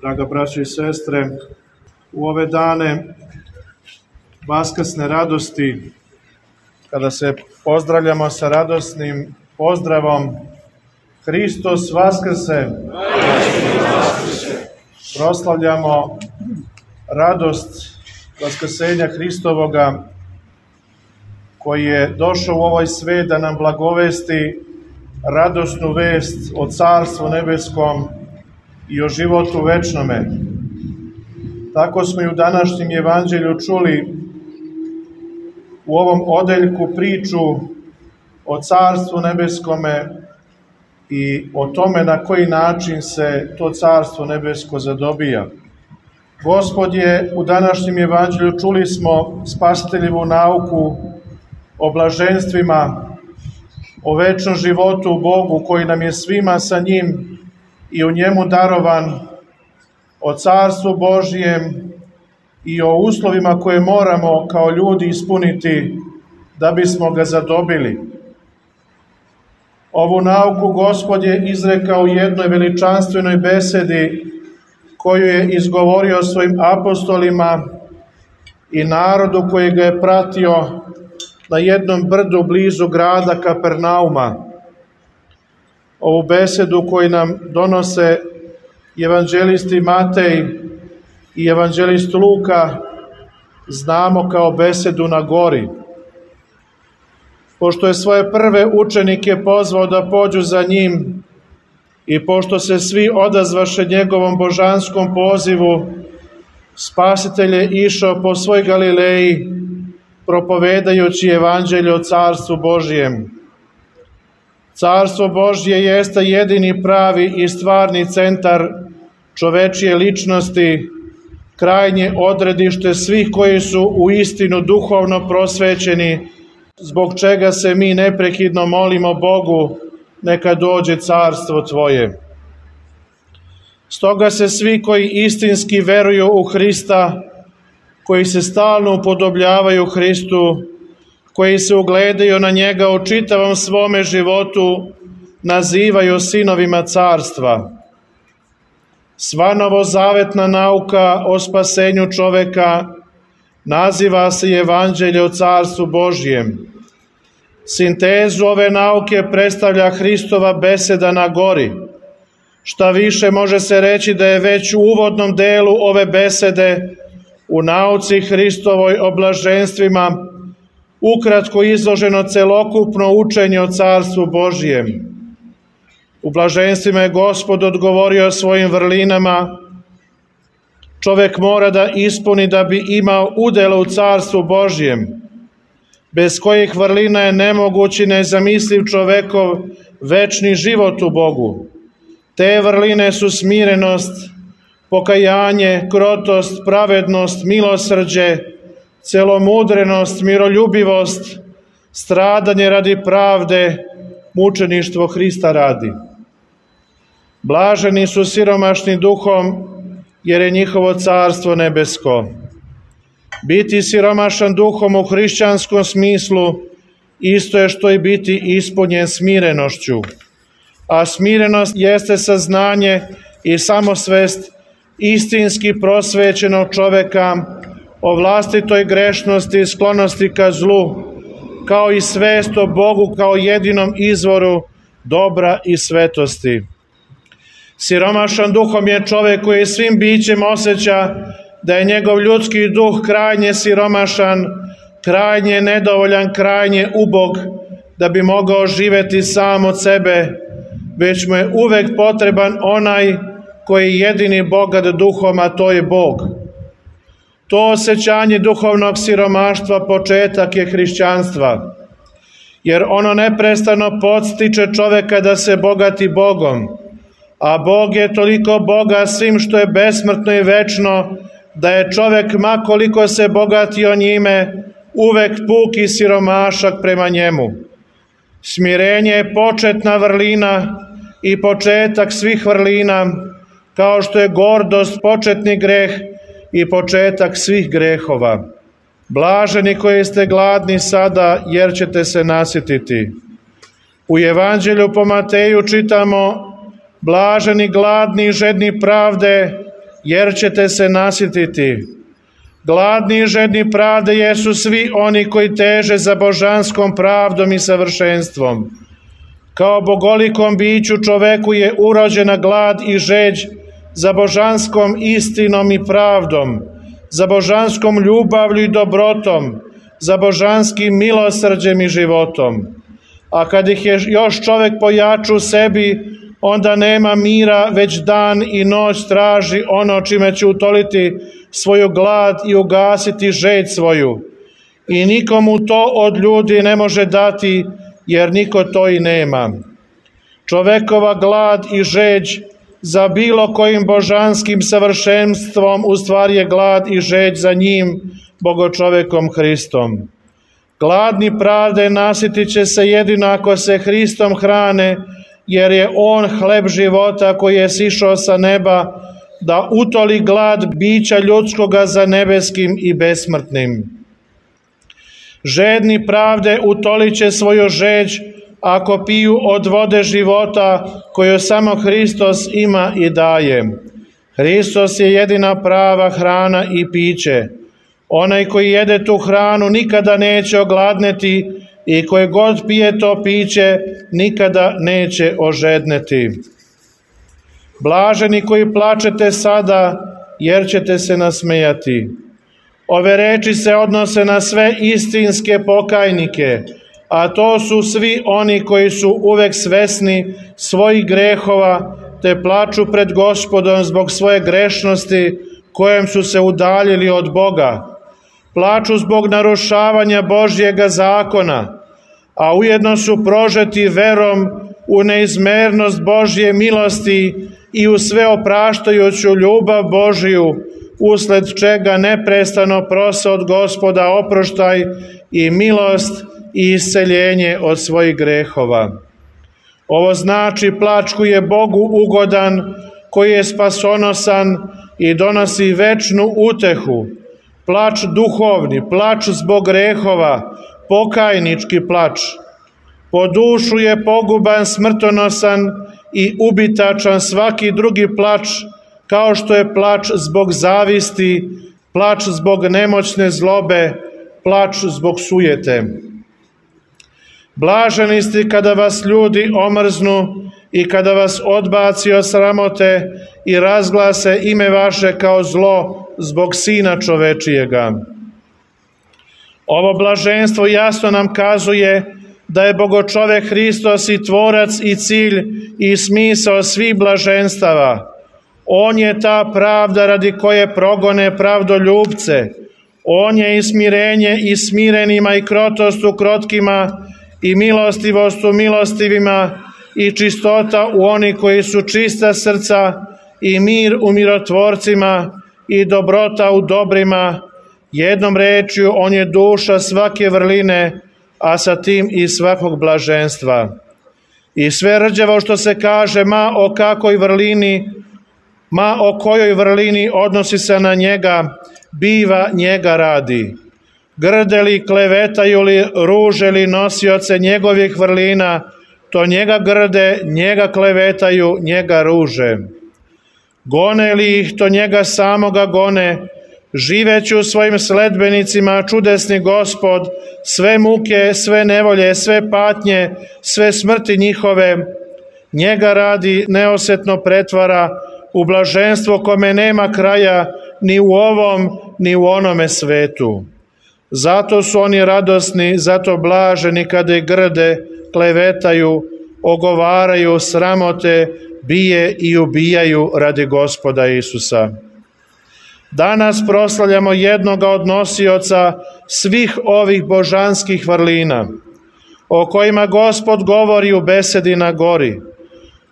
Draga braćo i sestre, u ove dane vaskrsne radosti, kada se pozdravljamo sa radosnim pozdravom Hristos vaskrse, proslavljamo radost vaskrsenja Hristovoga, koji je došao u ovaj svet da nam blagovesti radosnu vest o Carstvu nebeskom i o životu večnome. Tako smo i u današnjem evanđelju čuli u ovom odeljku priču o Carstvu nebeskome i o tome na koji način se to Carstvo nebesko zadobija. Gospod je u današnjem evanđelju, čuli smo, spasiteljevu nauku o blaženstvima, o večnom životu u Bogu koji nam je svima sa njim i u njemu darovan, o Carstvu Božjem i o uslovima koje moramo kao ljudi ispuniti da bismo ga zadobili. Ovu nauku Gospod je izrekao u jednoj veličanstvenoj besedi koju je izgovorio svojim apostolima i narodu koji ga je pratio na jednom brdu blizu grada Kapernauma. Ovu besedu koju nam donose evanđelisti Matej i evanđelist Luka znamo kao besedu na gori. Pošto je svoje prve učenike pozvao da pođu za njim i pošto se svi odazvaše njegovom božanskom pozivu, Spasitelj je išao po svoj Galileji, propovedajući evanđelje o Carstvu Božjem. Carstvo Božje jeste jedini pravi i stvarni centar čovečije ličnosti, krajnje odredište svih koji su u istinu duhovno prosvećeni, zbog čega se mi neprekidno molimo Bogu, neka dođe carstvo Tvoje. Stoga se svi koji istinski veruju u Hrista, koji se stalno upodobljavaju Hristu, koji se ugledaju na njega u čitavom svome životu, nazivaju sinovima carstva. Sva novozavetna nauka o spasenju čoveka naziva se evanđelje o Carstvu Božjem. Sintezu ove nauke predstavlja Hristova beseda na gori. Šta više, može se reći da je već u uvodnom delu ove besede u nauci Hristovoj o blaženstvima ukratko izloženo celokupno učenje o Carstvu Božjem. U blaženstvima je Gospod odgovorio svojim vrlinama: čovek mora da ispuni da bi imao udjela u Carstvu Božjem, bez kojih vrlina je nemoguć i nezamisliv čovekov večni život u Bogu. Te vrline su smirenost, pokajanje, krotost, pravednost, milosrđe, celomudrenost, miroljubivost, stradanje radi pravde, mučeništvo Hrista radi. Blaženi su siromašni duhom, jer je njihovo carstvo nebesko. Biti siromašan duhom u hrišćanskom smislu isto je što i biti ispunjen smirenošću. A smirenost jeste saznanje i samosvest istinski prosvećenog čoveka o vlastitoj grešnosti i sklonosti ka zlu, kao i svest o Bogu kao jedinom izvoru dobra i svetosti. Siromašan duhom je čovek koji svim bićem osjeća da je njegov ljudski duh krajnje siromašan, krajnje nedovoljan, krajnje ubog, da bi mogao živeti sam od sebe, već mu je uvek potreban onaj koji je jedini bogat duhom, a to je Bog. To osjećanje duhovnog siromaštva početak je hrišćanstva, jer ono neprestano podstiče čoveka da se bogati Bogom, a Bog je toliko boga svim što je besmrtno i večno, da je čovek, ma koliko se bogatio njime, uvek puk i siromašak prema njemu. Smirenje je početna vrlina i početak svih vrlina, kao što je gordost početni greh i početak svih grehova. Blaženi koji ste gladni sada, jer ćete se nasititi. U evanđelju po Mateju čitamo: blaženi, gladni, žedni pravde, jer ćete se nasititi. Gladni i žedni pravde jesu svi oni koji teže za božanskom pravdom i savršenstvom. Kao bogolikom biću čoveku je urođena glad i žeđ za božanskom istinom i pravdom, za božanskom ljubavlju i dobrotom, za božanskim milosrđem i životom. A kad ih je još čovek pojaču u sebi, onda nema mira, već dan i noć traži ono čime će utoliti svoju glad i ugasiti žeđ svoju. I nikomu to od ljudi ne može dati, jer niko to i nema. Čovekova glad i žeđ za bilo kojim božanskim savršenstvom u stvari je glad i žeđ za njim, bogočovekom Hristom. Gladni pravde nasitit će se jedino ako se Hristom hrane, jer je On hleb života koji je sišao sa neba da utoli glad bića ljudskoga za nebeskim i besmrtnim. Žedni pravde utolit će svoju žeđ ako piju od vode života koju samo Hristos ima i daje. Hristos je jedina prava hrana i piće. Onaj koji jede tu hranu nikada neće ogladneti i koji god pije to piće nikada neće ožedneti. Blaženi koji plačete sada, jer ćete se nasmejati. Ove reči se odnose na sve istinske pokajnike, a to su svi oni koji su uvek svesni svojih grehova, te plaču pred Gospodom zbog svoje grešnosti kojem su se udaljili od Boga. Plaču zbog narušavanja Božjega zakona, a ujedno su prožeti verom u neizmernost Božje milosti i u sveopraštajuću ljubav Božiju, usled čega neprestano prose od Gospoda oproštaj i milost i isceljenje od svojih grehova. Ovo znači plač koji je Bogu ugodan, koji je spasonosan i donosi večnu utehu, plač duhovni, plač zbog grehova, pokajnički plač. Po dušu je poguban, smrtonosan i ubitačan svaki drugi plač, kao što je plač zbog zavisti, plač zbog nemoćne zlobe, plač zbog sujete. Blaženi ste kada vas ljudi omrznu i kada vas odbaci od sramote i razglase ime vaše kao zlo zbog Sina čovečijega. Ovo blaženstvo jasno nam kazuje da je bogočovek Hristos i tvorac i cilj i smisao svih blaženstava. On je ta pravda radi koje progone pravdoljubce. On je i smirenje i smirenima i krotost u krotkima i milostivost u milostivima i čistota u oni koji su čista srca i mir u mirotvorcima i dobrota u dobrima. Jednom rečju, on je duša svake vrline, a sa tim i svakog blaženstva. I sve rđavo što se kaže, ma o kojoj vrlini odnosi se na njega, biva njega radi. Grde li, klevetaju li, ruže li nosioce njegovih vrlina, to njega grde, njega klevetaju, njega ruže. Gone li ih, to njega samoga gone, živeći u svojim sledbenicima čudesni Gospod, sve muke, sve nevolje, sve patnje, sve smrti njihove, njega radi neosetno pretvara u blaženstvo kome nema kraja ni u ovom, ni u onome svetu. Zato su oni radosni, zato blaženi kada ih grde, klevetaju, ogovaraju, sramote, bije i ubijaju radi Gospoda Isusa. Danas proslavljamo jednoga od nosioca svih ovih božanskih vrlina, o kojima Gospod govori u besedi na gori,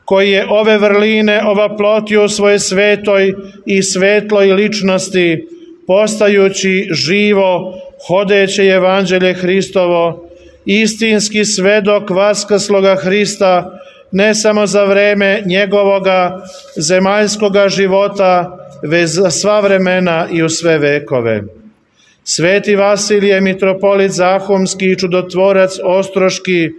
koji je ove vrline ovaplotio u svojoj svetoj i svetloj ličnosti, postajući živo, hodeće evanđelje Hristovo, istinski svedok vaskrsloga Hrista, ne samo za vreme njegovoga zemaljskoga života, već za sva vremena i u sve vekove. Sveti Vasilije, mitropolit Zahumski i čudotvorac Ostroški,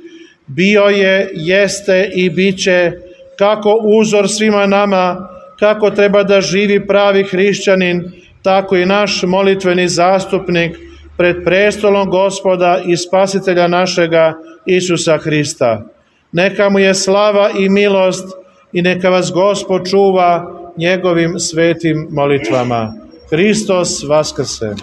bio je, jeste i bit će kako uzor svima nama, kako treba da živi pravi hrišćanin, tako i naš molitveni zastupnik pred prestolom Gospoda i Spasitelja našega Isusa Hrista. Neka mu je slava i milost i neka vas Gospod čuva njegovim svetim molitvama. Hristos vaskrse!